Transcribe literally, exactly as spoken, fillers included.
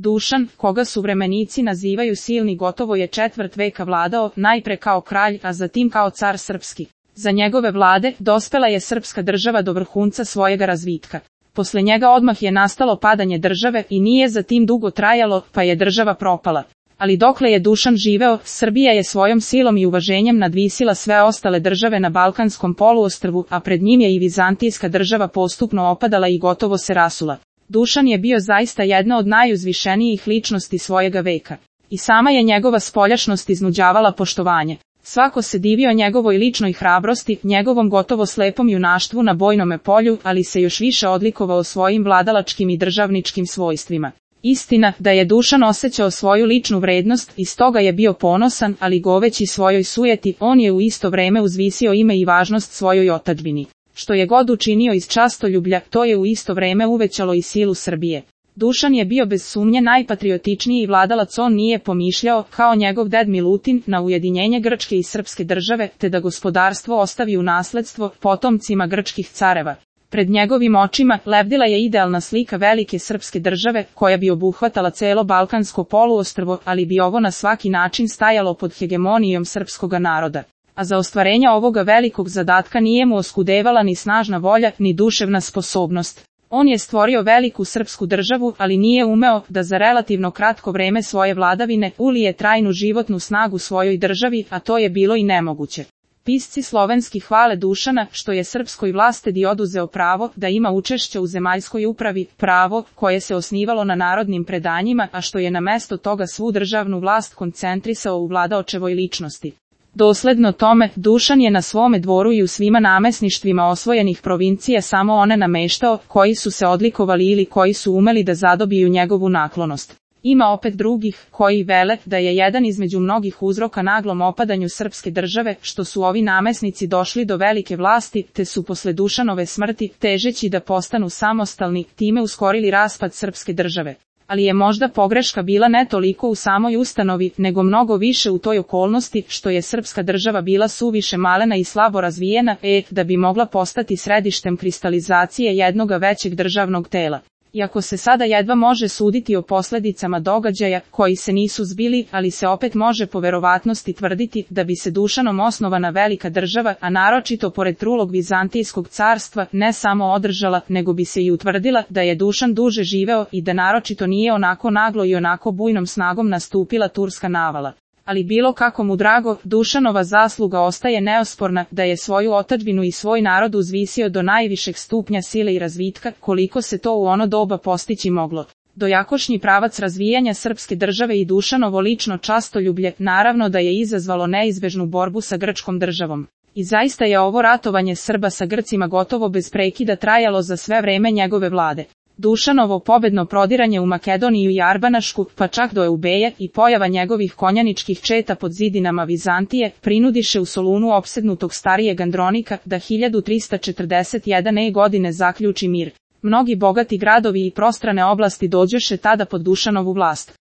Dušan, koga suvremenici nazivaju silni, gotovo je četvrt veka vladao, najpre kao kralj, a zatim kao car srpski. Za njegove vlade dospela je srpska država do vrhunca svojega razvitka. Posle njega odmah je nastalo padanje države i nije zatim dugo trajalo, pa je država propala. Ali dokle je Dušan živeo, Srbija je svojom silom i uvaženjem nadvisila sve ostale države na Balkanskom poluostrvu, a pred njim je i vizantijska država postupno opadala i gotovo se rasula. Dušan je bio zaista jedna od najuzvišenijih ličnosti svojega veka. I sama je njegova spoljašnost iznuđavala poštovanje. Svako se divio njegovoj ličnoj hrabrosti, njegovom gotovo slepom junaštvu na bojnome polju, ali se još više odlikovao svojim vladalačkim i državničkim svojstvima. Istina, da je Dušan osjećao svoju ličnu vrednost i stoga je bio ponosan, ali goveći svojoj sujeti, on je u isto vreme uzvisio ime i važnost svojoj otadžbini. Što je god učinio iz častoljublja, to je u isto vreme uvećalo i silu Srbije. Dušan je bio bez sumnje najpatriotičniji vladalac, on nije pomišljao, kao njegov ded Milutin, na ujedinjenje Grčke i srpske države, te da gospodarstvo ostavi u nasledstvo potomcima grčkih careva. Pred njegovim očima lebdila je idealna slika velike srpske države, koja bi obuhvatala celo Balkansko poluostrvo, ali bi ovo na svaki način stajalo pod hegemonijom srpskoga naroda. A za ostvarenje ovoga velikog zadatka nije mu oskudevala ni snažna volja, ni duševna sposobnost. On je stvorio veliku srpsku državu, ali nije umeo da za relativno kratko vreme svoje vladavine ulije trajnu životnu snagu svojoj državi, a to je bilo i nemoguće. Pisci slovenski hvale Dušana, što je srpskoj vlastedi oduzeo pravo da ima učešće u zemaljskoj upravi, pravo koje se osnivalo na narodnim predanjima, a što je na mesto toga svu državnu vlast koncentrisao u vladaočevoj ličnosti. Dosledno tome, Dušan je na svome dvoru i u svima namesništvima osvojenih provincija samo one nameštao, koji su se odlikovali ili koji su umeli da zadobiju njegovu naklonost. Ima opet drugih, koji vele da je jedan između mnogih uzroka naglom opadanju srpske države, što su ovi namesnici došli do velike vlasti, te su posle Dušanove smrti, težeći da postanu samostalni, time uskorili raspad srpske države. Ali je možda pogreška bila ne toliko u samoj ustanovi, nego mnogo više u toj okolnosti, što je srpska država bila suviše malena i slabo razvijena, e, da bi mogla postati središtem kristalizacije jednoga većeg državnog tela. Iako se sada jedva može suditi o posledicama događaja, koji se nisu zbili, ali se opet može po verovatnosti tvrditi da bi se Dušanom osnovana velika država, a naročito pored trulog Vizantijskog carstva, ne samo održala, nego bi se i utvrdila da je Dušan duže živeo i da naročito nije onako naglo i onako bujnom snagom nastupila turska navala. Ali bilo kako mu drago, Dušanova zasluga ostaje neosporna, da je svoju otadžbinu i svoj narod uzvisio do najvišeg stupnja sile i razvitka, koliko se to u ono doba postići moglo. Dojakošnji pravac razvijanja srpske države i Dušanovo lično častoljublje, naravno da je izazvalo neizbežnu borbu sa grčkom državom. I zaista je ovo ratovanje Srba sa Grcima gotovo bez prekida trajalo za sve vreme njegove vlade. Dušanovo pobedno prodiranje u Makedoniju i Arbanašku, pa čak do Eubeje, i pojava njegovih konjaničkih četa pod zidinama Vizantije, prinudiše u Solunu opsednutog starijeg Andronika da hiljadu trista četrdeset jedane godine zaključi mir. Mnogi bogati gradovi i prostrane oblasti dođoše tada pod Dušanovu vlast.